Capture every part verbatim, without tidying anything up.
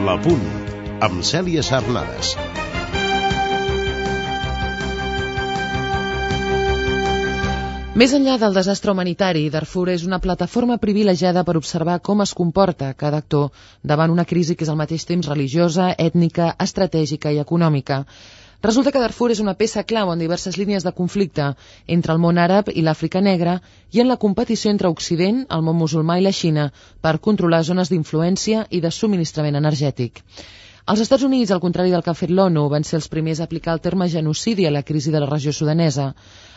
La Punt, amb Cèlia Sarnades. Més enllà del desastre humanitari, Darfur és una plataforma privilegiada per observar com es comporta cada actor davant una crisi que és al mateix temps religiosa, ètnica, estratègica i econòmica. Resulta que Darfur és una peça clau en diverses línies de conflicte entre el món àrab i l'Àfrica negra i en la competició entre Occident, el món musulmà i la Xina per controlar zones d'influència i de subministrament energètic. Els Estats Units, al contrari del que ha fet l'ONU, van ser els primers a aplicar el terme genocidi a la crisi de la regió sudanesa.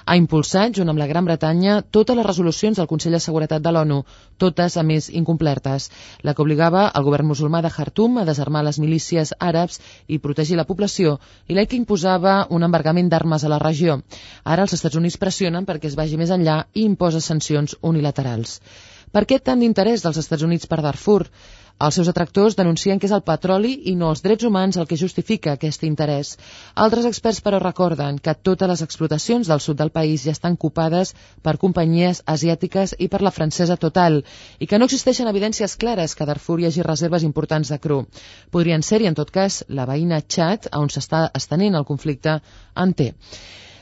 Ha impulsat, junt amb la Gran Bretanya, totes les resolucions del Consell de Seguretat de l'ONU, totes, a més, incomplertes. La que obligava el govern musulmà de Khartoum a desarmar les milícies àrabs i protegir la població, i la que imposava un embargament d'armes a la regió. Ara els Estats Units pressionen perquè es vagi més enllà i imposa sancions unilaterals. Per què tant d'interès dels Estats Units per Darfur? Els seus detractors denuncien que és el petroli i no els drets humans el que justifica aquest interès. Altres experts, però, recorden que totes les explotacions del sud del país ja estan copades per companyies asiàtiques i per la francesa Total, i que no existeixen evidències clares que a Darfur hi hagi reserves importants de cru. Podrien ser-hi, en tot cas, la veïna Txad, on s'està estenent el conflicte, en té.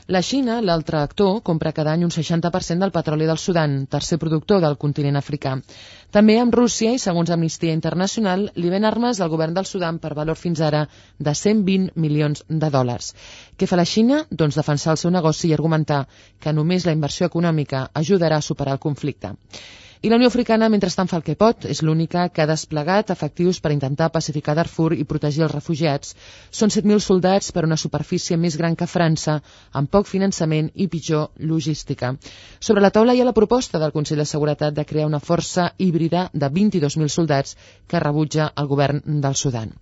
La Xina, l'altre actor, compra cada any un seixanta per cent del petroli del Sudan, tercer productor del continent africà. També amb Rússia i, segons Amnistia Internacional, li ven armes al govern del Sudan per valor fins ara de cent vint milions de dòlars. Què fa la Xina? Doncs defensar el seu negoci i argumentar que només la inversió econòmica ajudarà a superar el conflicte. I la Unió Africana, mentrestant, fa el que pot. És l'única que ha desplegat efectius per intentar pacificar Darfur i protegir els refugiats. Són set mil soldats per una superfície més gran que França, amb poc finançament i pitjor logística. Sobre la taula hi ha la proposta del Consell de Seguretat de crear una força híbrida de vint-i-dos mil soldats que rebutja el govern del Sudan.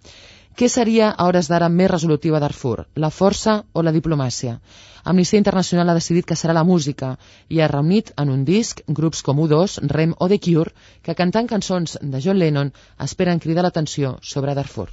Què seria a hores d'ara més resolutiu a Darfur, la força o la diplomàcia? Amnistia Internacional ha decidit que serà la música i ha reunit en un disc grups com U dos, Rem o The Cure, que cantant cançons de John Lennon esperen cridar l'atenció sobre Darfur.